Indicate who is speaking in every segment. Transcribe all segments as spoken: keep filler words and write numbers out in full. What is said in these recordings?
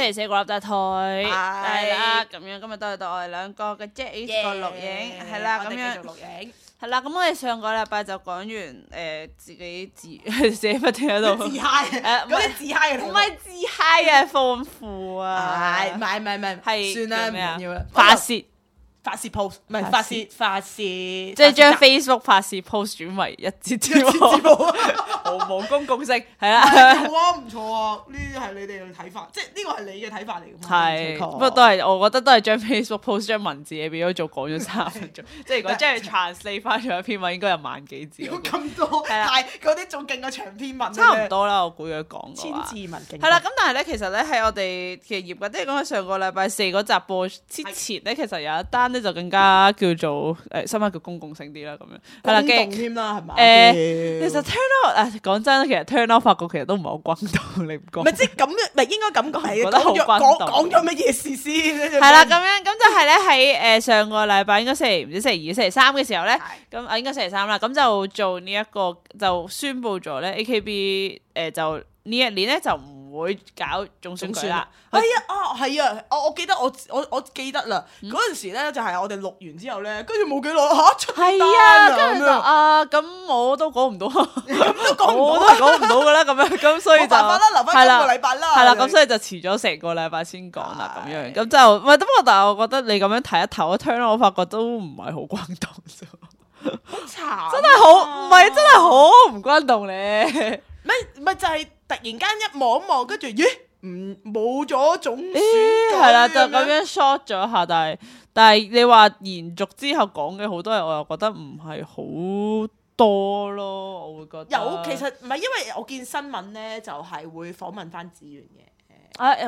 Speaker 1: 星期四嗰粒就退，係啦，咁樣今日都係到我哋兩個嘅啫，呢個錄影係啦，咁樣
Speaker 2: 錄影
Speaker 1: 係啦，咁我哋上個禮拜就講完誒自己自自己不斷喺度
Speaker 2: 自嗨，誒嗰啲自嗨嘅
Speaker 1: 唔係自嗨啊，豐富啊，
Speaker 2: 係唔係唔係唔係
Speaker 1: 係
Speaker 2: 算啦，唔
Speaker 1: 咩啊
Speaker 2: 緊要啦，
Speaker 1: 發泄。
Speaker 2: 發泄 post 唔係發泄發泄，即
Speaker 1: 即係將 Facebook 發泄 post 轉為一節節目，毫無公共性，係啦，
Speaker 2: 好啊，唔錯啊，呢啲係你哋嘅睇法，即係呢個係你嘅睇法嚟㗎嘛。
Speaker 1: 係，不過都係我覺得都係將 Facebook post 將文字嘢變咗做講咗三分鐘，即係如果將佢 translate 翻咗一篇文，應該有萬幾字。
Speaker 2: 咁多，但係嗰啲仲勁過長篇文。
Speaker 1: 差唔多啦，我估佢講
Speaker 2: 千字文勁。
Speaker 1: 係啦，咁但係咧，其實咧喺我哋嘅業嘅，即係講喺上個禮拜四嗰集播之前咧，其實有一單咧就更加叫做誒，新聞叫公共性啲啦，咁樣係啦，
Speaker 2: 轟動添啦，係咪？
Speaker 1: 誒，其實 turn out 誒講真，其實 turn out 發覺其實都唔係好轟動，你唔覺？
Speaker 2: 唔係即係咁，唔係應該咁講係
Speaker 1: 覺得好轟動。
Speaker 2: 講講咗乜嘢事先？
Speaker 1: 係啦，咁樣咁就係咧喺誒上個禮拜應該星期唔知星期二、星期三嘅時候咧，咁啊應該星期三啦，咁就做呢一個就宣佈咗咧 A K B 誒就呢一年咧就唔會搞總選舉啦。
Speaker 2: 係啊，啊係啊，我我記得我我我記得啦，嗰陣時咧就係我哋錄完之後咧，跟住冇幾耐嚇出單啊，
Speaker 1: 跟住就啊咁我都講唔到，
Speaker 2: 咁都講唔
Speaker 1: 我都
Speaker 2: 到，
Speaker 1: 講唔到㗎啦，咁樣咁所以就
Speaker 2: 冇辦法啦，留翻今個禮拜啦，
Speaker 1: 係啦，咁所以就遲咗成個禮拜先講啦，咁樣咁就唔係，不過但係我覺得你咁樣睇一頭一 turn 我發覺都唔係好轟動啫，
Speaker 2: 好慘，
Speaker 1: 真係好唔係真係好唔轟動咧，
Speaker 2: 咪咪就係突然間一望一望，跟住咦唔冇咗總選舉
Speaker 1: 係啦，就咁樣 short 咗一下，但係但係你話延續之後講嘅好多嘢，我又覺得唔係好多咯，我會覺得
Speaker 2: 有其實唔係，因為我見新聞咧就係會訪問翻子源嘅。
Speaker 1: 啊會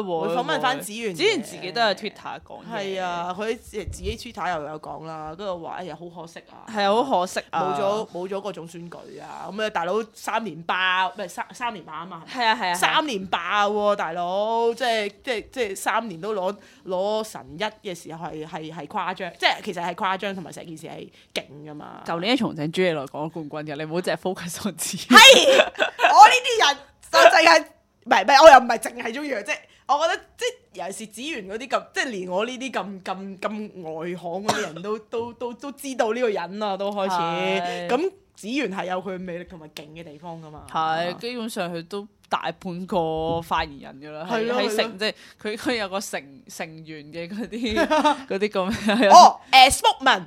Speaker 1: 會
Speaker 2: 會訪問翻子源，
Speaker 1: 子源自己都有 Twitter 講嘢。
Speaker 2: 係啊，佢自己 Twitter 又有講啦，跟住話哎呀好可惜啊，
Speaker 1: 係啊，好可惜啊，
Speaker 2: 冇咗冇咗個總選舉啊，咁啊大佬三連霸，唔係三三連霸啊嘛，
Speaker 1: 係啊係啊，
Speaker 2: 三連霸喎大佬，即係即係即係三年都攞攞神一嘅時候係係係誇張，即係其實係誇張同埋成件事係勁噶嘛。
Speaker 1: 舊年重請朱莉來講冠軍嘅，你唔好淨係 focus on 自己。
Speaker 2: 係我呢啲人就淨係。唔係唔係，我又唔係淨係中意佢，即係我覺得即係尤其是子源嗰啲咁，即係連我呢啲咁咁咁外行嗰啲人都都都都知道呢個人啦，都開始咁子源係有佢魅力同埋勁嘅地方噶嘛。
Speaker 1: 係基本上佢都大半個發言人㗎啦，喺喺成即係佢佢有個成成員嘅嗰啲嗰啲咁樣。
Speaker 2: 哦，誒 Spokesman。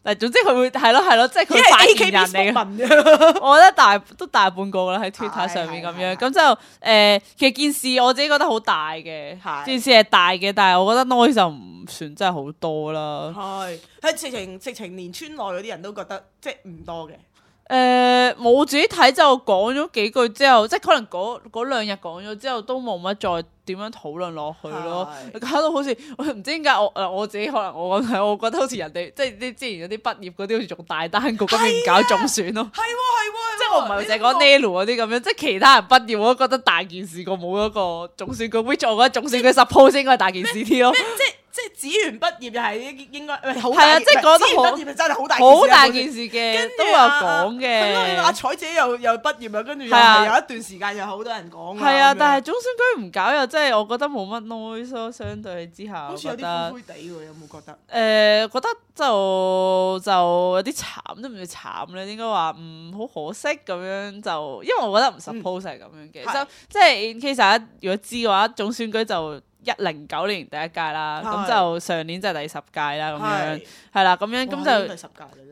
Speaker 1: 嗱，總之佢會係咯係咯，即係佢發言人嚟嘅。我覺得大都大半個啦喺 Twitter 上面咁樣，咁就誒、呃、其實件事我自己覺得好大嘅，件事係大嘅，但係我覺得 noise 就唔算真係好多啦。
Speaker 2: 係係直情直情連村內嗰啲人都覺得即係唔多嘅。
Speaker 1: 誒、呃，我自己睇就講咗幾句之後，即係可能嗰嗰兩日講咗之後都冇乜再點樣討論落去咯，搞到好似我唔知點解我誒我自己可能我咁睇，我覺得好似人哋即係啲之前嗰啲畢業嗰啲好似仲大單過今年搞總選咯，
Speaker 2: 係喎係喎，
Speaker 1: 即係我唔係淨係講 Nelu 嗰啲咁樣，即係其他人畢業我都覺得大件事過冇嗰個總選舉，which 我覺得總選舉 suppose 應該係大件事啲咯。
Speaker 2: 即係即係子源畢業又係應應該好
Speaker 1: 係啊，即係覺得
Speaker 2: 好畢業真係好大
Speaker 1: 好大件事嘅，都有講嘅。
Speaker 2: 阿彩姐又又畢業啦，跟住又係有一段時間又好多人講。
Speaker 1: 係啊，但係總選舉唔搞又真係我覺得冇乜 noise 咯，相對之下，
Speaker 2: 好似有啲灰灰地喎，有冇覺得？
Speaker 1: 誒、呃，覺得就就有啲慘，都唔算慘咧，應該話唔好可惜咁樣就，因為我覺得唔 suppose 係咁樣嘅，就即係 in case 大家如果知嘅話，總選舉就一零九年第一屆啦，咁就上年就係第十屆啦，咁樣係啦，咁樣咁就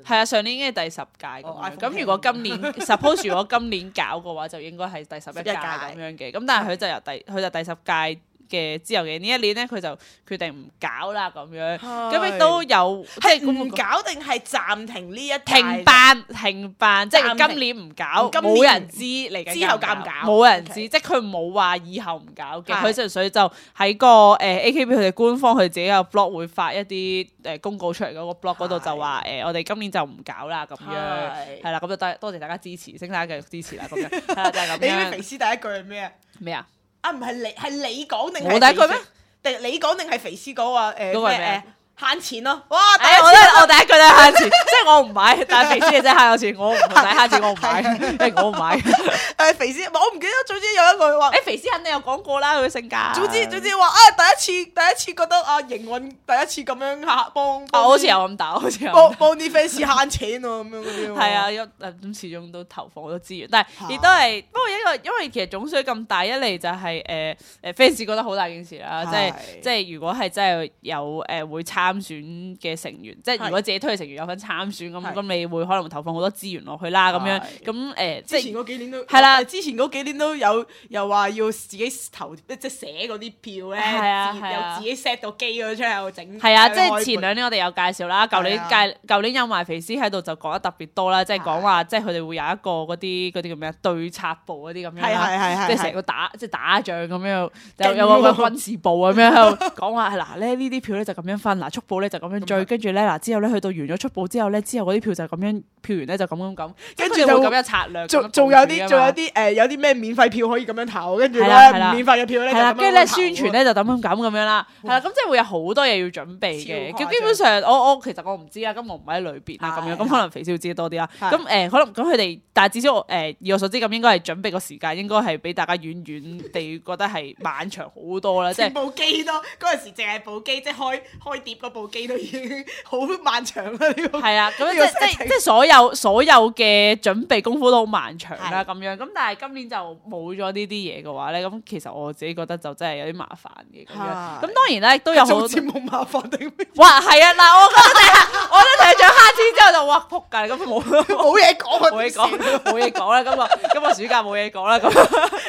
Speaker 1: 係啊，上年已經係第十屆咁樣，咁如果今年 suppose 如果今年搞嘅話，就應該係第十一屆咁樣嘅，咁但係佢就由第佢就第十屆嘅之後嘅呢一年咧，佢就決定唔搞啦咁樣，咁亦都有即係
Speaker 2: 唔搞定係暫停呢一
Speaker 1: 停辦停辦，即係今年唔搞，冇人知嚟緊
Speaker 2: 之後搞唔搞，
Speaker 1: 冇人知，即係佢冇話以後唔搞嘅，佢純粹就喺個誒 A K B 佢哋官方佢自己有 blog 會發一啲誒公告出嚟嗰個 blog 嗰度就話誒我哋今年就唔搞啦咁樣，係啦，咁就多多謝大家支持，請大家繼續支持啦咁樣，係啦就係咁樣。
Speaker 2: 你知肥師第一句係咩啊？
Speaker 1: 咩啊？
Speaker 2: 啊唔係你係你講定係
Speaker 1: 我第一句咩？
Speaker 2: 定你講定係肥師講話誒咩誒慳錢咯，哇！
Speaker 1: 誒，我咧我第一句都係慳錢，即係我唔買，但係肥師係真係慳咗錢，我唔使慳錢，我唔買，因為我唔買。
Speaker 2: 誒肥師，我唔記得，總之有一句話，
Speaker 1: 誒肥師肯定有講過啦，佢嘅性格。
Speaker 2: 總之總之話啊，第一次第一次覺得啊營運第一次咁樣嚇幫，
Speaker 1: 啊好似有咁大，好似有
Speaker 2: 幫幫啲 fans 慳錢喎咁樣嗰啲。
Speaker 1: 係啊，因咁始終都投放好多資源，但係亦都係不過一個，因為其實總選咁大，一嚟就係誒誒 fans 覺得好大件事啦，即係即係如果係真係有誒會參選嘅成員，即係如果自己推嘅成員有份參選咁，咁你會可能會投放好多資源落去啦，咁樣咁誒，
Speaker 2: 之前嗰幾年都
Speaker 1: 係啦，
Speaker 2: 之前嗰幾年都有又話要自己投即係寫嗰啲票咧，
Speaker 1: 係啊係啊，
Speaker 2: 又自己 set 到機嗰出嚟整。
Speaker 1: 係啊，即係前兩年我哋有介紹啦，舊年介舊年有埋肥師喺度就講得特別多啦，即係講話即係佢哋會有一個嗰啲嗰啲叫咩啊對策部嗰啲咁樣啦，即係成個打即係打仗咁樣，有有個軍事部咁樣喺度講話係嗱咧呢啲票咧就咁樣分，嗱速報咧就咁樣追，跟住咧嗱之後咧去到完咗速報之後咧，之後嗰啲票就咁樣票完咧就咁咁咁，跟住就會咁樣策略，
Speaker 2: 仲仲有啲仲有啲誒有啲咩免費票可以咁樣投，跟住咧唔免費嘅票咧
Speaker 1: 係啦，跟住咧宣傳咧就咁樣咁咁樣啦，係啦，咁即係會有好多嘢要準備嘅。咁基本上我我其實我唔知啦，咁我唔喺裏邊啦，咁樣咁可能肥少知得多啲啦。咁誒可能咁佢哋，但係至少我誒以我所知咁應該係準備個時間應該係比大家遠遠地覺得係漫長好多啦，即係
Speaker 2: 部機都嗰陣時淨係部機即係開開碟嗰部機都已經好漫長啦。呢個
Speaker 1: 係啊，咁即即即所有所有嘅準備功夫都好漫長啦，咁樣咁但係今年就冇咗呢啲嘢嘅話咧，咁其實我自己覺得就真係有啲麻煩嘅咁樣。咁當然咧亦都有好多
Speaker 2: 節目麻煩定咩？
Speaker 1: 哇，係啊！嗱，我覺得第日，我覺得第日獎慳錢之後就哇仆街，咁冇
Speaker 2: 冇嘢講，
Speaker 1: 冇嘢講，冇嘢講啦。今日今日暑假冇嘢講啦，咁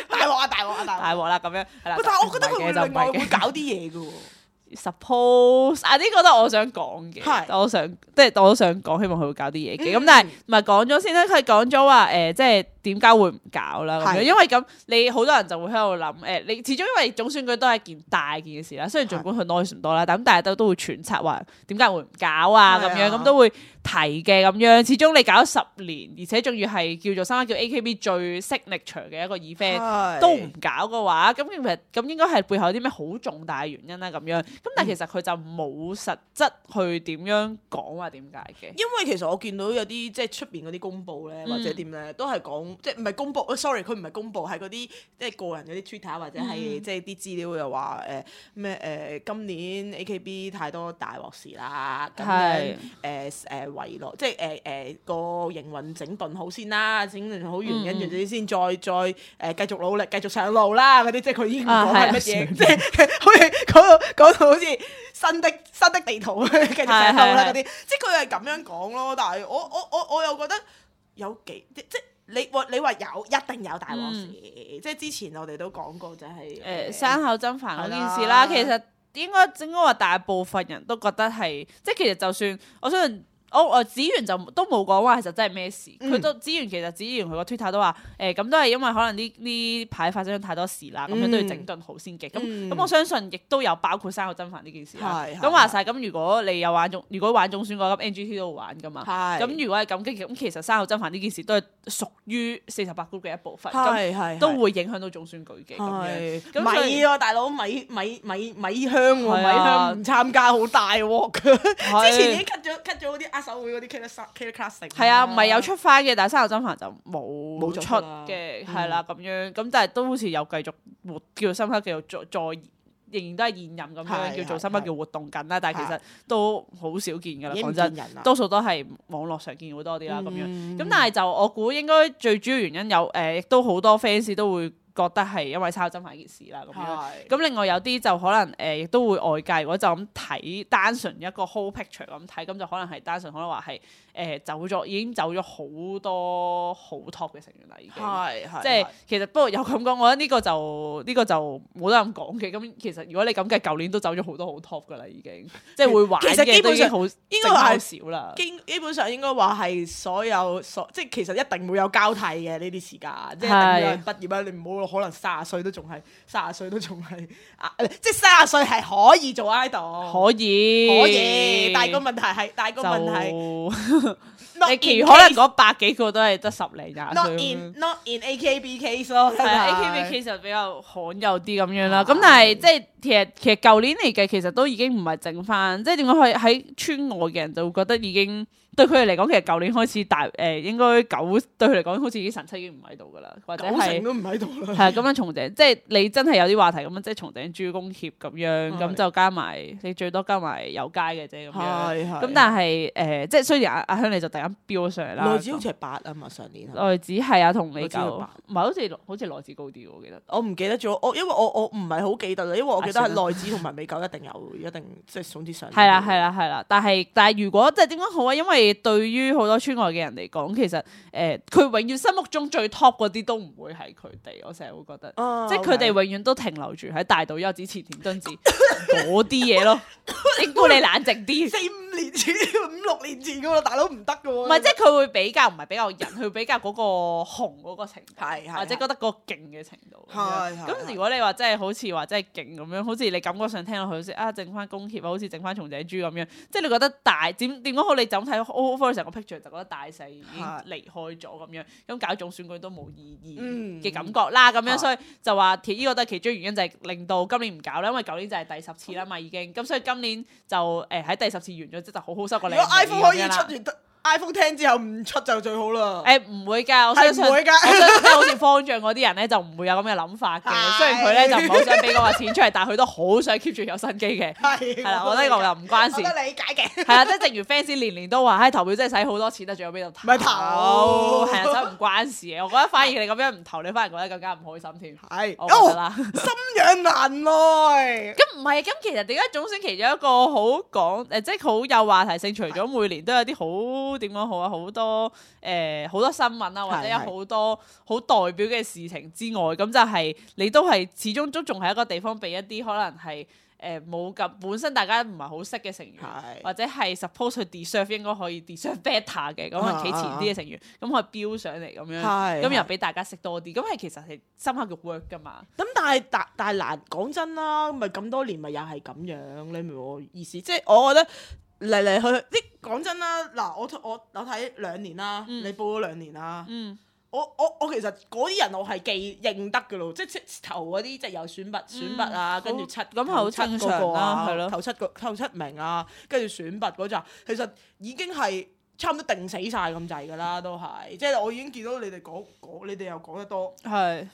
Speaker 2: 大鑊啊！大鑊啊！大
Speaker 1: 鑊啦，咁樣係啦。
Speaker 2: 但係我覺得佢會另外會搞啲嘢嘅喎。
Speaker 1: Suppose 啊，呢個都係我想講嘅，我想即係我都想講，希望佢會搞啲嘢嘅。咁但係唔係講咗先咧？佢講咗話誒，即係點解會唔搞啦？咁樣因為咁你好多人就會喺度諗誒，你始終因為總選舉都係一件大件嘅事啦。雖然儘管佢 noise 唔多啦，但咁大家都都會揣測話點解會唔搞啊？咁樣咁都會提嘅咁樣。始終你搞咗十年，而且仲要係叫做三間叫 A K B 最 signature 嘅一個 event 都唔搞嘅話，咁其實咁應該係背後有啲咩好重大嘅原因啦咁樣。咁但係其實佢就冇實質去點樣講話點解嘅。
Speaker 2: 因為其實我見到有啲即係出邊嗰啲公佈咧，或者點咧，都係講即係唔係公佈？sorry，佢唔係公佈，係嗰啲即係個人嗰啲 Twitter 或者係即係啲資料又話誒咩誒今年 A K B 太多大鑊事啦，咁樣誒誒遺落即係誒誒個營運整頓好先啦，整頓好完跟住先再再誒繼續努力繼續上路啦嗰啲，即係佢已經唔講係乜嘢，即係好似講到講到好似新的新的地圖繼續上路啦嗰啲，即係佢係咁樣講咯。但係我我我我又覺得有幾即即你話你話有一定有大鑊事，即係之前我哋都講過就係
Speaker 1: 誒山口真帆嗰件事啦。其實應該應該話大部分人都覺得係，即係其實就算我相信。我我子源就都冇講話其實真係咩事，佢都子源其實子源佢個 Twitter 都話誒咁都係因為可能呢呢排發生咗太多事啦，咁樣都要整頓好先嘅。咁咁我相信亦都有包括山口真帆呢件事啦。咁話晒咁，如果你有玩總，如果玩總選嗰級 N G T 都會玩噶嘛。咁如果係咁，咁其實山口真帆呢件事都係屬於四十八 group 嘅一部分，咁都會影響到總選舉嘅咁樣。
Speaker 2: 米喎大佬，米米米米香喎，米香唔參加好大鑊㗎。之前已經 cut 咗 cut 咗嗰啲握手會嗰啲 Killer Classic 係
Speaker 1: 啊，唔係有出翻嘅，但係山口真帆就冇冇出嘅，係
Speaker 2: 嗯
Speaker 1: 啦咁樣，咁但係都好似有繼續活叫做深刻，繼續再再仍然都係現任咁樣叫做深刻叫活動緊啦，但係其實都好少見㗎啦，講真，多數都係網絡上見好多啲啦咁樣，咁但係就我估應該最主要原因有誒，亦都好多 fans 都會覺得係因為山口真帆件事啦咁樣，咁另外有啲就可能誒，亦、呃、都會外界如果就咁睇單純一個 whole picture 咁睇，咁就可能係單純可能話係誒走咗，已經走咗好多好 top 嘅成員啦，已經，
Speaker 2: 係係，
Speaker 1: 即係其實不過有咁講，我覺得呢個就呢、呢個就冇得咁講嘅。咁其實如果你咁計，舊年都走咗好多好 top 噶啦，已經即係會玩嘅都已經好應該話少啦。基
Speaker 2: 基本上應該話係所有所即係其實一定會有交替嘅呢啲時間，即係一定有人畢業啦，你唔好可能卅歲都仲係卅歲都仲係啊，即係卅歲係可以做 idol，
Speaker 1: 可以
Speaker 2: 可以，但係個問題係，但係個問題。
Speaker 1: 你其餘可能嗰百幾個都係得十零廿歲。
Speaker 2: Not in not in A K B case 咯，
Speaker 1: 係啊 ，A K B case 就比較罕有啲咁樣啦。咁但係即係其實其實舊年嚟計，其實都已經唔係剩翻，即係點講？喺喺村外嘅人就會覺得已經對佢哋嚟講，其實舊年開始大誒、呃，應該九對佢嚟講，好似已經神七已經唔喺度噶啦，或者係
Speaker 2: 都唔喺度啦。
Speaker 1: 係啊，咁樣松井，即係你真係有啲話題咁樣，即係松井珠公協咁樣，咁就加埋你最多加埋有街嘅啫咁樣。咁但係誒、呃，即係雖然阿阿香你就突然間飆咗上嚟啦。內
Speaker 2: 子好似係八啊嘛，上年。
Speaker 1: 內子係啊，同你九，唔係好似好似內子高啲我記得。
Speaker 2: 我唔記得咗，我因為我我唔係好記得啦，因為我記得係內子同埋美九一定有，一定即係總之上。
Speaker 1: 係啦係啦係啦，但係但係如果即係點講好啊？因為對於好多村外嘅人嚟講，其實誒佢、呃、永遠心目中最 top 嗰啲都唔會係佢哋，我成日會覺得，啊、即係佢哋永遠都停留住喺大島優子、前田敦子嗰啲嘢咯。應該你冷靜啲，
Speaker 2: 四五年前、五六年前噶喎，大佬唔得噶喎。
Speaker 1: 唔係，即係佢會比較唔係比較人，佢會比較嗰個紅嗰個程度，
Speaker 2: 係
Speaker 1: 或者覺得嗰個勁嘅程度。係咁如果你話真係好似話真係勁咁樣，好似你感覺上聽落去好似啊，剩翻宮協啊，好似剩翻松井珠咁樣，即係你覺得大點點講好？你就咁睇 overall 成個 picture 就覺得大勢已經離開咗咁樣，咁搞總選舉都冇意義嘅感覺啦。咁、嗯、樣所以就話呢個都係其中原因，就係令到今年唔搞啦，因為舊年就係第十次啦嘛已經，咁所以今年就誒喺第十次完咗之後就好好收個靚。如果
Speaker 2: iPhone 可以出完得 iPhone 聽之後唔出就最好啦。
Speaker 1: 誒唔會㗎，我相信，我相信好似方丈嗰啲人咧就唔會有咁嘅諗法嘅。雖然佢咧就唔係好想俾嗰個錢出嚟，但係佢都好想 keep 住有新機嘅。係係啦，我覺得呢個又唔關事。
Speaker 2: 我得理解嘅。
Speaker 1: 係啊，即係正如 fans 年年都話，唉投票真係使好多錢，得仲有邊度投？
Speaker 2: 咪投
Speaker 1: 係啊，所以唔關事嘅。我覺得反而你咁樣唔投，你反而覺得更加唔開心添。
Speaker 2: 係，
Speaker 1: 我覺得啦。
Speaker 2: 心癢難耐。
Speaker 1: 咁唔係，咁其實點解總選其中一個好講誒，即係好有話題性，除咗每年都有啲好點講好啊，好多誒好多新聞啊，或者有好多好代表嘅事情之外，咁就係你都係始終都仲係一個地方俾一啲可能係誒冇咁本身大家唔係好識嘅成員，或者係 suppose 去 deserve 應該可以 deserve better 嘅，咁啊企前啲嘅成員，咁可以飆上嚟咁樣，咁又俾大家識多啲，咁係其實係深刻嘅 work 噶嘛。
Speaker 2: 咁但係但但係難講真啦，咪咁多年咪又係咁樣，你明我意思？即係我覺得。嚟嚟去去，啲講真啦，嗱，我我我睇兩年啦，嗯、你報咗兩年啦，嗯、我我我其實嗰啲人我係記認得嘅咯，即係頭嗰啲即係有選拔選拔啊，跟住、嗯、七
Speaker 1: 咁好正常啦，係咯，
Speaker 2: 頭七個頭七名啊，跟住選拔嗰陣，其實已經係差唔多定死晒咁滯㗎啦，都係，即係我已經見到你哋講講，你哋又講得多，係。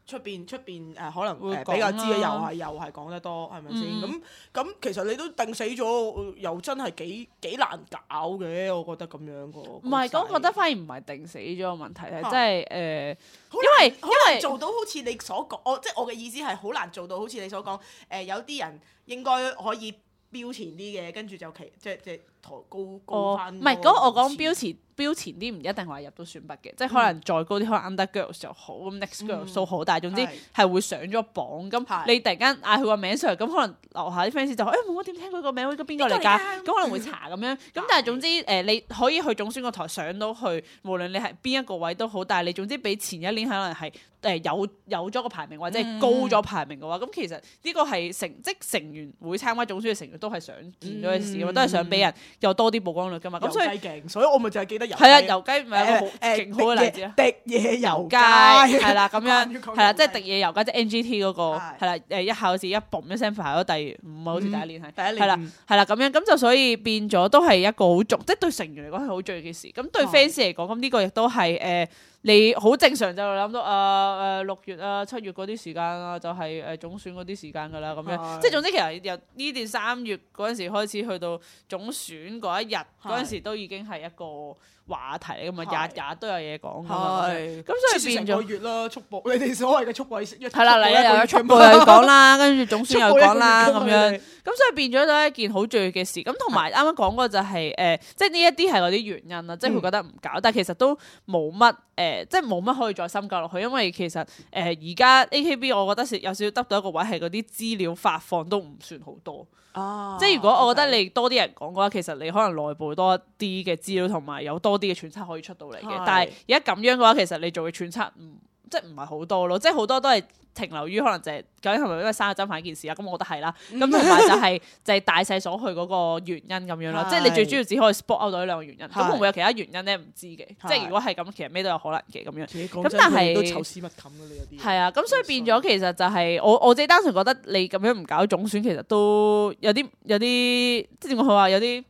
Speaker 2: 出邊出邊誒可能誒比較知嘅又係又係講得多係咪先？咁咁、嗯、其實你都定死咗，又真係幾幾難搞嘅，我覺得咁樣個。唔係，
Speaker 1: 咁我覺得反而唔係定死咗個問題係，即係誒，因為
Speaker 2: 好難做到好似你所講，我即係我嘅意思係好難做到好似你所講，誒、呃、有啲人應該可以標前啲嘅，跟住就其即即抬高高翻。
Speaker 1: 唔係嗰個我講標前。標前啲唔一定話入到選拔嘅，即係可能再高啲，可能 Under Girls 就好，咁 Next Girls 都好，但係總之係會上咗榜。咁你突然間嗌佢個名上嚟，咁可能樓下啲 fans 就誒冇乜點聽佢個名，邊個嚟㗎？咁可能會查咁樣。咁但係總之誒，你可以去總選個台上到去，無論你係邊一個位都好，但係你總之比前一年可能係誒有有咗個排名或者係高咗排名嘅話，咁其實呢個係成即成員會參加總選嘅成員都係想見到嘅事，都係想俾人有多啲曝光率㗎嘛。咁所以
Speaker 2: 勁，所以我咪就係記得
Speaker 1: 係啊，油雞咪一個好勁好嘅例子啊！
Speaker 2: 滴野油雞
Speaker 1: 係啦，咁樣係啦，即係滴野油雞即係 N G T 嗰個係啦，誒一考試一嘣一聲排咗第五啊，好似第一年係第一年係啦係啦咁樣，咁就所以變咗都係一個好重，即係對成員嚟講係好重要嘅事。咁對 fans 嚟講，咁呢個亦都係誒你好正常就諗到啊誒六月啊七月嗰啲時間啊，就係誒總選嗰啲時間㗎啦，咁樣即係總之其實由呢段三月嗰陣時開始去到總選嗰一日嗰陣時都已經係一個話題嚟㗎嘛，日日都有嘢講㗎嘛，咁所以變咗
Speaker 2: 個月啦，速報你哋所謂嘅速報式，
Speaker 1: 係啦，嚟又有速報又講啦，跟住總選又講啦，咁樣，咁所以變咗都係一件好重要嘅事。咁同埋啱啱講過就係誒，即係呢一啲係嗰啲原因啦，即係佢覺得唔搞，但係其實都冇乜誒，即係冇乜可以再深究落去，因為其實誒而家 A K B 我覺得有少少得到一個位係嗰啲資料發放都唔算好多。啊、即係如果我覺得你多啲人講嘅話，其實你可能內部多啲嘅資料同埋有多啲嘅揣測可以出到嚟嘅。是但係而家咁樣嘅話，其實你做嘅揣測唔即係唔係好多咯，即係好多都係停留於可能就係究竟係咪因為生日針牌件事啊？咁我覺得係啦。咁同埋就係就係大勢所去嗰個原因咁樣咯。即係你最主要只可以 spot out 到呢兩個原因。咁會唔會有其他原因咧？唔知嘅。即係如果係咁，其實咩都有可能嘅咁樣。咁但係
Speaker 2: 都臭屎密冚㗎，你有啲。係
Speaker 1: 啊，咁所以變咗其實就係我我自己單純覺得你咁樣唔搞總選，其實都有啲有啲即係點講好話有啲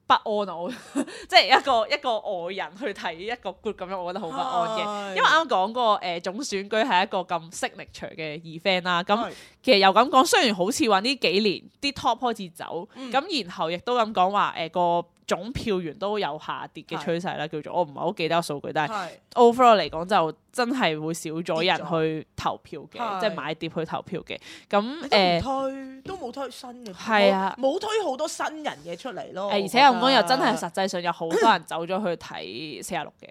Speaker 1: 不安啊！我即係一個一個外人去睇一個 group 咁樣，我覺得好不安嘅。因為啱啱講過誒總選舉係一個咁 signature 嘅 event 啦。咁其實又咁講，雖然好似話呢幾年啲 top 開始走，咁、嗯、然後亦都咁講話誒個總票源都有下跌嘅趨勢啦，叫做我唔係好記得個數據，但係 overall 嚟講就真係會少咗人去投票嘅，即係買碟去投票嘅。咁誒
Speaker 2: 推都冇推新嘅，
Speaker 1: 係啊，
Speaker 2: 冇推好多新人嘅出嚟咯。
Speaker 1: 而且咁講又真係實際上有好多人走咗去睇四十六嘅，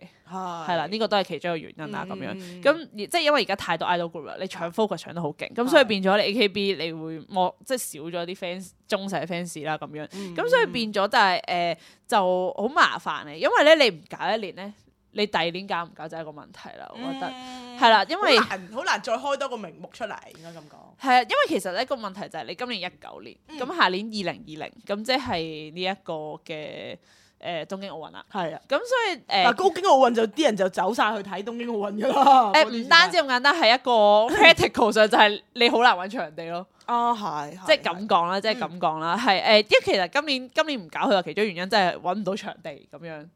Speaker 1: 係啦，呢個都係其中一個原因啦。咁樣咁即係因為而家太多 idol group 啦，你搶 focus 搶得好勁，咁所以變咗你 A K B 你會冇即係少咗啲 fans 忠實 fans 啦咁樣，咁所以變咗就係誒就好麻煩嘅，因為咧你唔搞一年咧，你第二年搞唔搞就係一個問題啦。我覺得係啦，因為
Speaker 2: 好難再開多個名目出嚟，應該咁講。
Speaker 1: 係啊，因為其實咧個問題就係你今年一九年，咁下年二零二零，咁即係呢一個嘅誒東京奧運啦。係啊，咁所以誒，
Speaker 2: 東京奧運就啲人就走晒去睇東京奧運噶啦。
Speaker 1: 誒唔單止咁簡單，係一個 practical 上就係你好難揾場地咯。
Speaker 2: 啊，係，
Speaker 1: 即係咁講啦，即係咁講啦，係誒，因為其實今年今年唔搞佢話其中原因真係揾唔到場地咁樣，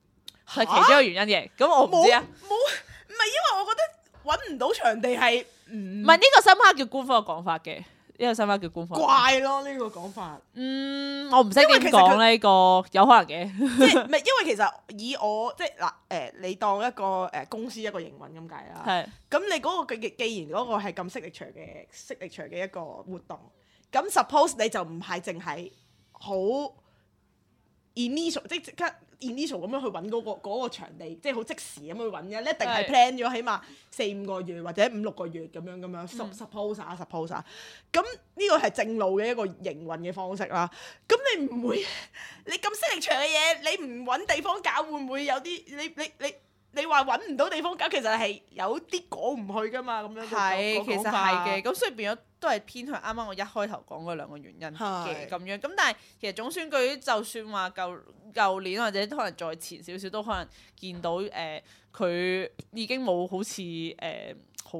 Speaker 1: 係其中一個原因嘅。咁我唔知啊，
Speaker 2: 冇唔係因為我覺得揾唔到場地係唔
Speaker 1: 唔係呢個深刻叫官方嘅講法嘅，呢個深刻叫官方
Speaker 2: 怪咯呢個講法。
Speaker 1: 嗯，我唔識點講呢個有可能嘅，
Speaker 2: 即係唔係因為其實以我即係嗱誒，你當一個誒公司一個營運咁計啦，係咁你嗰個既既然嗰個係咁 signature 嘅 signature 嘅一個活動，咁 suppose 你就唔係淨係好 initial 即係即刻 initial 咁樣去揾嗰個嗰個場地，即係好即時咁去揾嘅，你一定係 plan 咗起碼四五個月或者五六個月咁樣咁樣 suppose 啊 suppose 啊，咁呢個係正路嘅一個營運嘅方式啦。咁你唔會你咁 signature 嘅嘢，你唔揾地方搞，會唔會有啲你你你你話揾唔到地方搞，其實係有啲講唔去噶嘛，咁樣
Speaker 1: 係其實係嘅，咁所以變咗都係偏向啱啱我一開頭講嗰兩個原因嘅咁樣。咁但係其實總選舉就算話舊舊年或者可能再前少少都可能見到誒佢、呃、已經冇好似誒好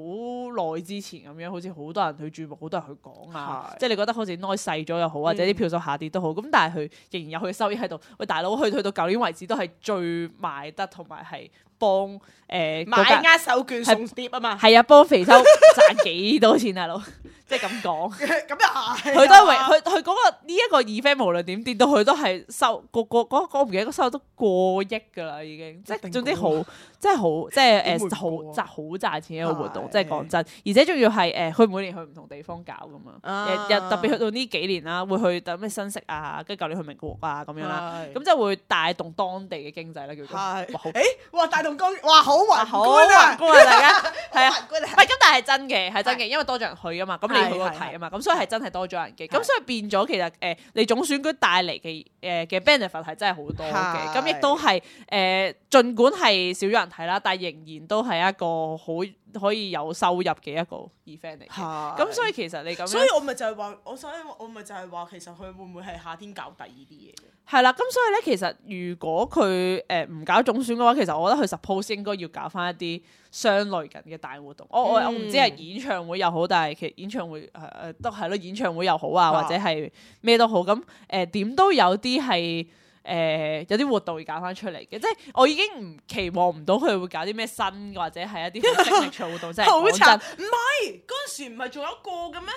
Speaker 1: 耐之前咁樣，好似好多人去注目，好多人去講啊，即係你覺得好似 noise 細咗又好，或者啲票數下跌都好，咁、嗯、但係佢仍然有佢嘅收益喺度。喂，大佬，去去到舊年為止都係最賣得同埋係幫誒、呃、
Speaker 2: 買握手券送碟啊嘛，
Speaker 1: 係啊，幫肥秋賺幾多錢大佬，即係咁講。
Speaker 2: 咁又係，
Speaker 1: 佢都係佢佢嗰個呢一個 event 無論點跌到佢都係收個個嗰嗰唔記得個收入都過億㗎啦已經，即係總之好即係好即係誒好賺好賺錢一個活動，即係講真，而且仲要係誒佢每年去唔同地方搞㗎嘛，日日特別去到呢幾年啦，會去等咩新潟啊，跟住舊年去名古屋啊咁樣啦，咁即係會帶動當地嘅經濟啦叫做。
Speaker 2: 哇好誒哇帶動經哇好宏觀
Speaker 1: 啊，宏觀啊大家係啊，唔係咁但係真嘅係真嘅，因為多咗人去㗎嘛，咁你去嗰個睇啊嘛，咁所以係真係多咗人嘅，咁所以變咗其實誒你總選舉帶嚟嘅誒嘅 benefit 係真係好多嘅，咁亦都係誒儘管係少咗人睇啦，但係仍然都係一個好可以有收入嘅一個 event 嚟嘅，咁所以其實你咁樣，
Speaker 2: 所以我咪就係話，我所以我咪就係話，其實佢會唔會係夏天搞第二啲嘢嘅？
Speaker 1: 係啦，咁所以咧，其實如果佢誒唔搞總選嘅話，其實我覺得佢 suppose 應該要搞翻一啲相類近嘅大活動。我我我唔知係演唱會又好，但係其實演唱會誒誒、呃、都係咯，演唱會又好啊，或者係咩都好。咁誒點都有啲係誒有啲活動要搞翻出嚟嘅，即係我已經唔期望唔到佢會搞啲咩新或者係一啲好 signature 活動，即係講真，
Speaker 2: 唔係嗰陣時唔係仲有一個嘅咩？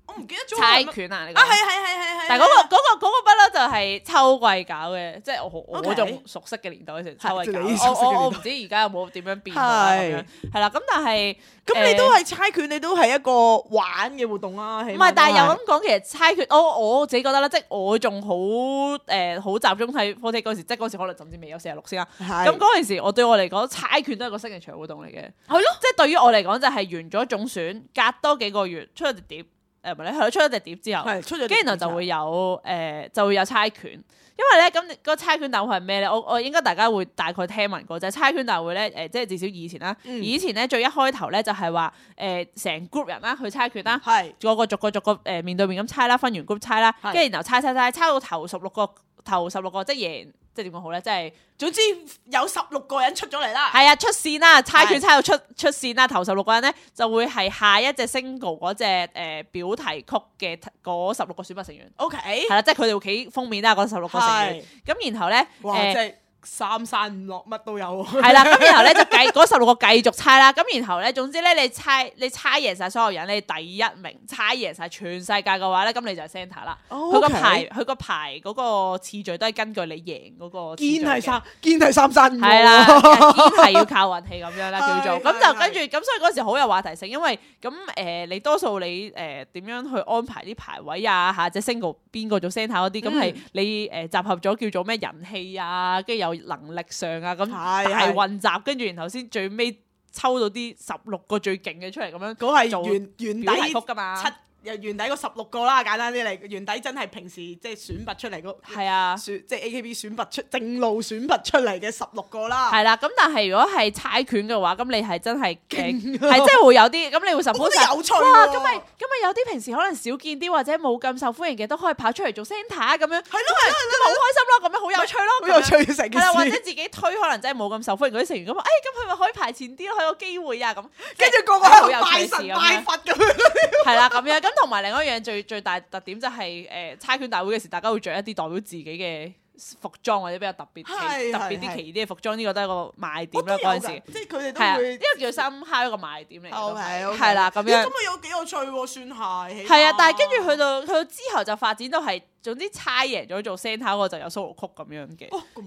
Speaker 2: 我唔記得咗
Speaker 1: 猜拳啊！你
Speaker 2: 啊係係係係係，
Speaker 1: 但係嗰個嗰個嗰個不嬲就係秋季搞嘅，即係我我仲熟悉嘅年代嗰時秋季搞。我我我唔知而家有冇點樣變啦咁樣。係啦，咁但係
Speaker 2: 咁你都係猜拳，你都係一個玩嘅活動啦。唔
Speaker 1: 係，但係又咁講，其實猜拳，我我自己覺得咧，即係我仲好誒好集中睇科技嗰時，即係嗰時可能甚至未有四十六先啦。咁嗰陣時，我對我嚟講，猜拳都係個signature活動嚟嘅。係咯，即係對於我嚟講就係完咗總選，隔多幾個月出咗隻碟。誒唔係咧，佢出咗隻碟之後，
Speaker 2: 係出咗，
Speaker 1: 跟住然後就會有誒、呃、就會有猜拳，因為咧咁嗰個猜拳大會係咩咧？我我應該大家會大概聽聞過就係、是、猜拳大會咧誒、呃，即係至少以前啦，嗯、以前咧最一開頭咧就係話誒成 group 人啦去猜拳啦，
Speaker 2: 係
Speaker 1: 個個逐個逐個誒面對面咁猜啦，分完 group 猜啦，跟住然後猜猜猜猜到頭十六個頭十六個即係贏。即係點講好咧？即係
Speaker 2: 總之有十六個人出咗嚟啦。
Speaker 1: 係啊，出線啦，猜拳猜到出出線啦，頭十六個人咧就會係下一隻 single 嗰隻誒表題曲嘅嗰十六個選拔成員。
Speaker 2: O K，
Speaker 1: 係啦，即係佢哋會企封面啦，嗰十六個成員。咁然後咧，
Speaker 2: 哇，即係三山五落乜都有。
Speaker 1: 係啦，咁然後咧就繼嗰十六個繼續猜啦。咁然後咧，總之咧你猜你猜贏晒所有人，你第一名猜贏晒全世界嘅話咧，咁你就係 centre 啦。佢個排佢個排嗰個次序都係根據你贏嗰個次序嘅。堅係三堅係三山五。係啦，堅係要靠運氣咁樣啦，叫做。咁就跟住咁，所以嗰時好有話題性，因為咁誒你多數你誒點樣去安排啲排位啊，下隻 single 邊個做 centre 嗰啲，咁係你誒集合咗叫做咩人氣啊，跟住有能力上啊，咁大混雜，跟住然後先最尾抽到啲十六個最勁嘅出嚟，咁樣
Speaker 2: 嗰係原原底
Speaker 1: 曲噶嘛，
Speaker 2: 七又原底嗰十六個啦，簡單啲嚟，原底真係平時即係選拔出嚟嗰
Speaker 1: 係啊，
Speaker 2: 選即係 A K B 選拔出正路選拔出嚟嘅十六個啦。
Speaker 1: 係啦，咁但係如果係猜拳嘅話，咁你係真係係真係會有啲，咁你會 suppose
Speaker 2: 有趣喎。
Speaker 1: 哇，咁咪咁咪有啲平時可能少見啲或者冇咁受歡迎嘅都可以跑出嚟做 centre 咁樣，係咯係咯，好開心咯，咁樣好有趣咯，
Speaker 2: 好有趣成件事。
Speaker 1: 係啦，或者自己推可能真係冇咁受歡迎嗰啲成員咁，誒咁佢咪可以排前啲咯，有個機會啊咁，
Speaker 2: 跟住個個喺度拜神拜佛咁樣。係
Speaker 1: 啦，咁樣咁同埋另外一樣最最大特點就係誒猜拳大會嘅時，大家會着一啲代表自己嘅服裝或者比較特別特別啲奇異啲嘅服裝，呢個都係一個賣點啦。嗰陣時，
Speaker 2: 即係佢哋都會
Speaker 1: 呢個叫深烤一個賣點嚟。
Speaker 2: 係
Speaker 1: 係啦，咁樣
Speaker 2: 咁咪有幾有趣喎？算係
Speaker 1: 係啊，但係跟住去到去到之後就發展到係。總之猜贏咗做 centre 嗰個就有 solo 曲咁樣嘅。
Speaker 2: 哦，咁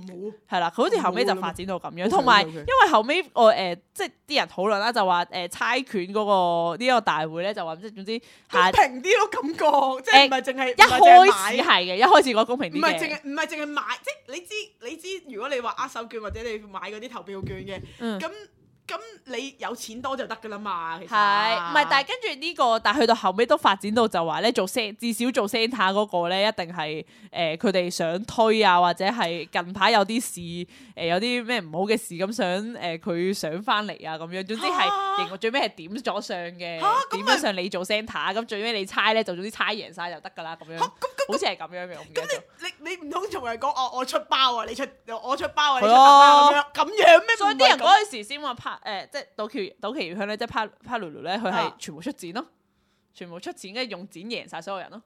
Speaker 2: 好。
Speaker 1: 係啦，佢好似後尾就發展到咁樣，同埋因為後尾我誒即係啲人討論啦，就話誒猜拳嗰個呢個大會咧就話即係總之
Speaker 2: 公平啲咯，感覺即係唔係淨係
Speaker 1: 一開始係嘅，一開始講公平啲嘅。
Speaker 2: 唔係淨係唔係淨係買，即係你知你知，如果你話握手券或者你買嗰啲投票券嘅，咁。咁你有錢多就得噶啦嘛，其實
Speaker 1: 係唔係？但係跟住呢個，但係去到後尾都發展到就話咧，做 centre 至少做 centre 嗰個咧，一定係誒佢哋想推啊，或者係近排有啲事誒、呃，有啲咩唔好嘅事咁想誒佢、呃、上翻嚟啊咁樣。總之係型，最尾係點咗上嘅，點咗上你做 centre，咁最尾你猜咧就總之猜贏晒就得噶啦咁樣。好似係咁樣嘅，我唔記得咗。咁
Speaker 2: 你你你唔通同人講我我出包啊，你出我出包啊，你出包咁樣咁樣咩？
Speaker 1: 所以啲人嗰陣時先話拍。誒、呃，即係島崎島崎裕香咧，即係帕帕魯魯咧，佢係全部出剪咯，啊、全部出剪，跟住用剪贏晒所有人咯。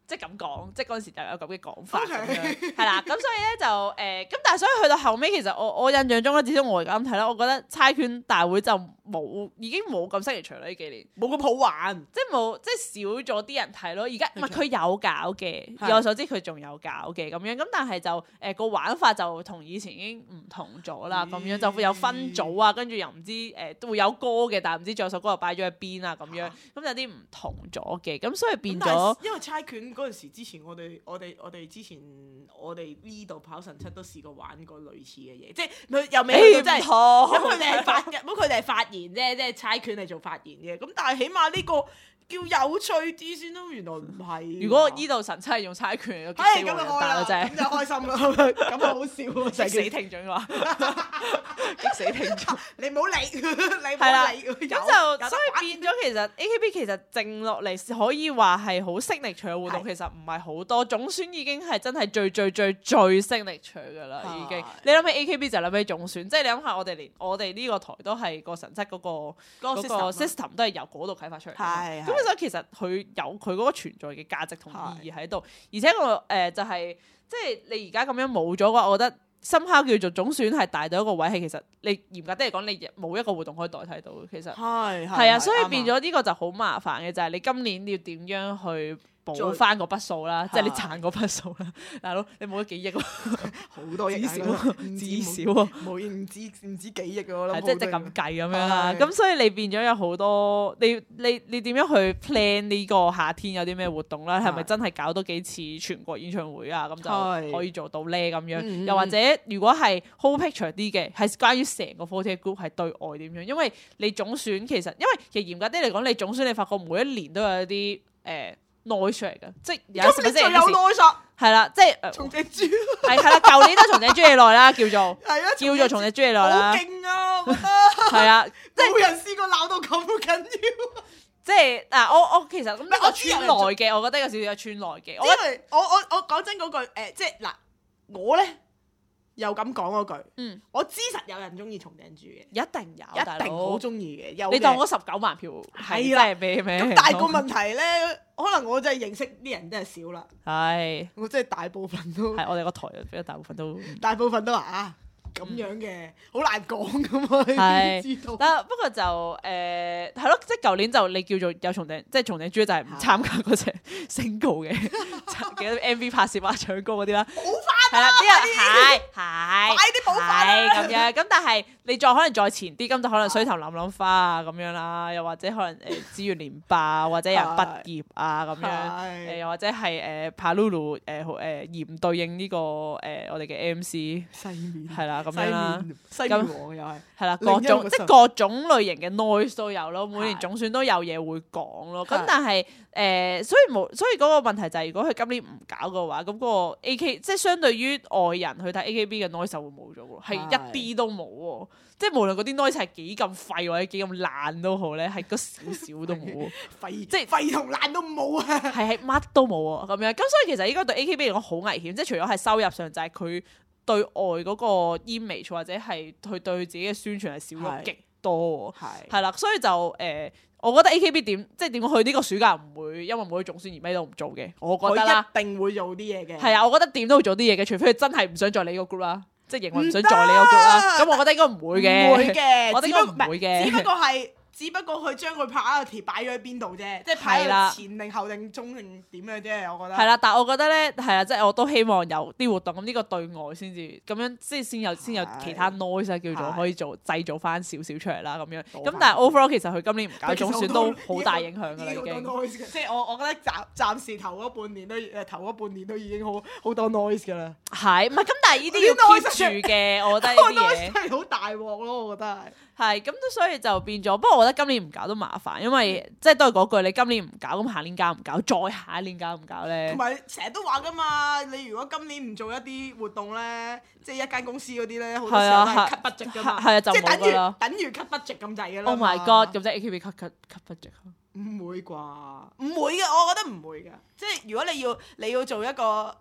Speaker 1: 即係咁講，即係嗰陣時就有咁嘅講法咁樣，係啦。咁所以咧就誒，咁、呃、但係所以去到後尾，其實我我印象中咧，至少我而家咁睇啦，我覺得猜拳大會就冇，已經冇咁犀利場啦呢幾年，
Speaker 2: 冇咁好玩，
Speaker 1: 即係冇，即係少咗啲人睇咯。而家唔係佢有搞嘅，以我所知佢仲有搞嘅咁樣，咁但係就誒個、呃、玩法就同以前已經唔同咗啦，咁樣就會有分組啊，跟住又唔知誒、呃、都會有歌嘅，但係唔知仲有首歌又擺咗喺邊啊咁樣，咁有啲唔同咗嘅，咁所以變咗，
Speaker 2: 因為猜拳。嗰陣時之前我哋我哋我哋之前我哋呢度跑神七都試過玩過類似嘅嘢，即係佢又未去到真係咁佢哋係發咁佢哋係發言啫，即係猜拳係做發言嘅，咁但係起碼呢個叫有趣啲先咯，原來唔係。如果
Speaker 1: 呢度神七係用猜拳，
Speaker 2: 激死我人啦，咁就開心啦，咁啊好笑啊，
Speaker 1: 激死聽眾嘅話，激死聽眾，
Speaker 2: 你唔好理，你唔好理。
Speaker 1: 咁就所以變咗，其實 A K B 其實靜落嚟可以話係好識力場嘅活動，其實唔係好多。總選已經係真係最最最最識力場㗎啦，已經。你諗起 A K B 就諗起總選，即係你諗下，我哋連我哋呢個台都係個神七嗰個嗰個 system 都係由嗰度啟發出嚟。係。咁所以其實佢有佢嗰個存在嘅價值同意義喺度，而且個誒就係即係你而家咁樣冇咗嘅話，我覺得深刻叫做總選係大到一個位，係其實你嚴格啲嚟講，你冇一個活動可以代替到。其實係係啊，所以變咗呢個就好麻煩嘅，就係你今年要點樣去補翻嗰筆數啦，即係你賺嗰筆數啦，大佬你冇咗幾億喎，
Speaker 2: 好多億，
Speaker 1: 至少至少喎，
Speaker 2: 冇唔止唔止幾億喎，
Speaker 1: 係即係即係咁計咁樣啦。咁所以你變咗有好多，你你你點樣去 plan 呢個夏天有啲咩活動啦？係咪真係搞多幾次全國演唱會啊？咁就可以做到咧咁樣。又或者如果係 whole picture 啲嘅，係關於成個四十八 group 係對外點樣？因為你總選其實，因為其實嚴格啲嚟講，你總選你發覺每一年都有一啲。誒、誒 noise 嚟嘅，即係有
Speaker 2: 今年就有 noise
Speaker 1: 係啦，即係
Speaker 2: 松隻豬
Speaker 1: 係係啦，舊年都松井朱里奈啦，叫做
Speaker 2: 係啊，
Speaker 1: 叫做松井朱里奈啦，
Speaker 2: 好勁啊！我覺得
Speaker 1: 係啊，即係
Speaker 2: 冇人試過鬧到咁緊要。
Speaker 1: 即係嗱，我我其實咁呢個
Speaker 2: 我知
Speaker 1: 村內嘅，我覺得有少少有村內嘅，我
Speaker 2: 因為我我我講真嗰句誒，即係嗱，我咧又咁講嗰句，
Speaker 1: 嗯，
Speaker 2: 我知實有人中意松井豬嘅，
Speaker 1: 一定有，
Speaker 2: 一定好中意嘅。有
Speaker 1: 你當我十九萬票
Speaker 2: 係啦，
Speaker 1: 咩咩？
Speaker 2: 咁但係個問題咧，可能我真係認識啲人真係少啦。
Speaker 1: 係，
Speaker 2: 我真係大部分都
Speaker 1: 係我哋個台比較大部分都
Speaker 2: 大部分都話啊咁樣嘅，好難講噶嘛。
Speaker 1: 係
Speaker 2: 知道。
Speaker 1: 但不過就誒係咯，即係舊年就你叫做有松井，即係松井豬就係唔參加嗰隻升高嘅幾多 M V 拍攝啊、唱歌嗰啲啦。
Speaker 2: 補翻
Speaker 1: 係啦，啲人係係
Speaker 2: 快啲補翻
Speaker 1: 係咁樣。咁但係你再可能再前啲，咁就可能水頭諗諗花啊咁樣啦，又或者可能誒資源連霸或者有人畢業啊咁樣，誒又或者係誒 Palulu 誒誒嚴對應呢個誒我哋嘅 M C
Speaker 2: 西面
Speaker 1: 係啦咁樣啦，
Speaker 2: 西面王又係
Speaker 1: 係啦各種即係各種類型嘅 noise 都有咯，每年總選都有嘢會講咯。咁但係誒所以冇，所以嗰個問題就係如果佢今年唔搞嘅話，咁嗰個 A K 即係相對於外人去睇 A K B 嘅 noise 就會冇咗喎，係一啲都冇喎。即係無論嗰啲 noise 係幾咁廢或者幾咁爛都好咧，係嗰少少都冇，
Speaker 2: 廢
Speaker 1: 即係
Speaker 2: 廢同爛都冇啊！
Speaker 1: 係係乜都冇啊咁樣。咁所以其實應該對 A K B 嚟講好危險，即係除咗係收入上就係佢對外嗰個 image 或者係佢對自己嘅宣傳係少咗極多，係係啦。所以就誒、呃，我覺得 A K B 點即係點講，佢呢個暑假唔會因為冇咗總選而咩都唔做嘅，我覺得啦，
Speaker 2: 一定會做啲嘢嘅。
Speaker 1: 係啊，我覺得點都會做啲嘢嘅，除非佢真係唔想再理個 group 啦。即係營運唔想在你個 group 啦，咁我覺得應該唔會嘅，
Speaker 2: 唔會嘅，
Speaker 1: 我覺得應該唔會嘅，
Speaker 2: 只不過係，只不過佢將佢拍嗰條擺咗喺邊度啫，即係擺喺前定後定中定點嘅啫，我覺得。
Speaker 1: 係啦，但係我覺得咧，係啊，即係我都希望有啲活動，咁呢個對外先至咁樣，即係先有先有其他 noise 叫做可以做製造翻少少出嚟啦，咁樣。咁但係 overall 其實佢今年唔搞總選都好大影響㗎啦，已經。
Speaker 2: 即係我我覺得暫暫時頭嗰半年都誒頭嗰半年都已經好好多 noise 㗎啦。
Speaker 1: 係，唔係咁？但係呢啲要 keep 住嘅，我覺得呢啲嘢
Speaker 2: 係好大鑊咯，我覺得係。
Speaker 1: 係咁，所以就變咗。不過我覺得今年唔搞都麻煩，因為、嗯、即係都係嗰句，你今年唔搞，咁下年搞唔搞？再下一年搞唔搞咧？同
Speaker 2: 埋成日都話噶嘛，你如果今年唔做一啲活動咧，即係一間公司嗰啲咧，好多時候都係 cut budget 噶嘛。係啊，就冇㗎啦。即係等於等於 cut budget 咁滯㗎啦。
Speaker 1: Oh my god！咁即係 A K B cut cut cut budget？
Speaker 2: 唔會啩？唔會嘅，我覺得唔會㗎。即係如果你要你要做一個，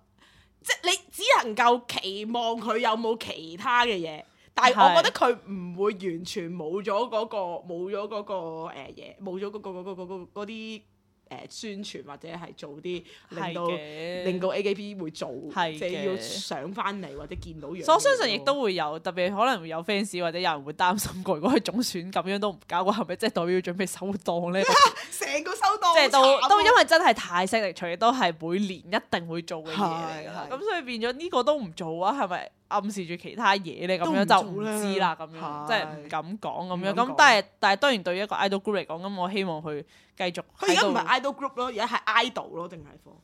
Speaker 2: 即係你只能夠期望佢有冇其他嘅嘢。但係我覺得佢唔會完全冇咗嗰個冇咗嗰個誒嘢，冇咗嗰個嗰個嗰個嗰啲誒宣傳或者係做啲令到令到 A K B 會做，即係要上翻嚟或者見到樣。所以我相信
Speaker 1: 亦都會有，特別可能會有 fans 或者有人會擔心過，如果佢總選咁樣都唔搞，係咪即係代表要準備收檔咧？
Speaker 2: 成個收檔
Speaker 1: 即係都都因為真係太犀利，除咗都係每年一定會做嘅嘢嚟㗎，咁所以變咗呢個都唔做啊？係咪？暗示住其他嘢咧，咁樣就唔知啦，咁樣即係唔敢講咁樣。咁但係但係當然對於一個 idol group 嚟講，咁我希望佢繼續。
Speaker 2: 佢而家唔係 idol group 咯，而家係 idol 咯，定係科？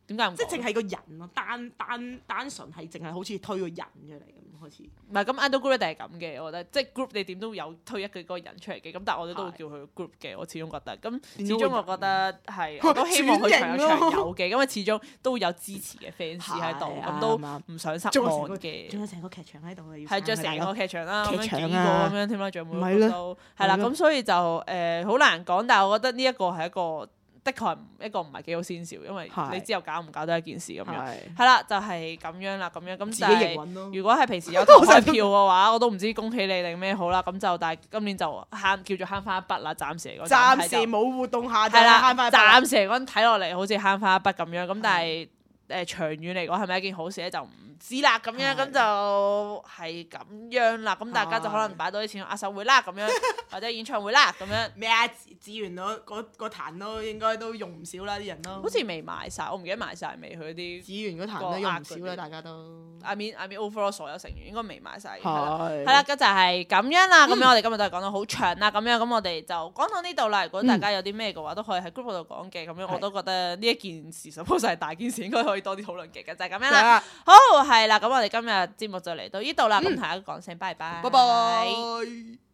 Speaker 1: 點解唔？
Speaker 2: 即係淨係個人咯，單單單純係淨係好似推個人出嚟咁開始。
Speaker 1: 唔係咁 idol group 一定係咁嘅，我覺得即係 group 你點都有推一個嗰個人出嚟嘅。咁但係我哋都會叫佢 group 嘅，我始終覺得。咁始終我覺得係，我都希望佢長有長有嘅，因為始終都會有支持嘅 fans 喺度，咁都唔想失望嘅。
Speaker 2: 仲有成個劇場喺度嘅，
Speaker 1: 係仲有成個劇場啦，咁樣幾個
Speaker 2: 咁
Speaker 1: 樣添啦，仲有每個都係啦。咁所以就誒好難講，但係我覺得呢一個係一個。的確係一個唔係幾好先兆，因為你之後搞唔搞都係一件事咁樣。係啦，就係咁樣啦，咁樣咁。但係如果係平時有投開票嘅話，我都唔知恭喜你定咩好啦。咁就但係今年就慳叫做慳翻一筆啦，暫時嚟講。
Speaker 2: 暫時冇活動下就慳翻一筆。
Speaker 1: 暫時嚟講睇落嚟好似慳翻一筆咁樣，咁但係誒長遠嚟講係咪一件好事咧？就唔知啦，咁樣咁就係咁樣啦。咁大家就可能擺多啲錢去握手會啦，咁樣或者演唱會啦，咁樣。咩啊？
Speaker 2: 資源嗰嗰嗰壇都應該都用唔少啦，啲人都。
Speaker 1: 好似未賣晒，我唔記得賣晒未。佢啲
Speaker 2: 資源嗰壇都用唔少啦，大家都。
Speaker 1: I mean I mean overall 所有成員應該未賣晒。係啦，係啦，咁就係咁樣啦。咁樣我哋今日都係講到好長啦。咁樣咁我哋就講到呢度啦。如果大家有啲咩嘅話，都可以喺 group 度講嘅。咁樣我都覺得呢一件事 suppose 係大件事，應該可以多啲討論嘅。就係咁樣啦。好，係啦。咁我哋今日節目就嚟到呢度啦。咁同大家講聲拜拜。
Speaker 2: 拜拜。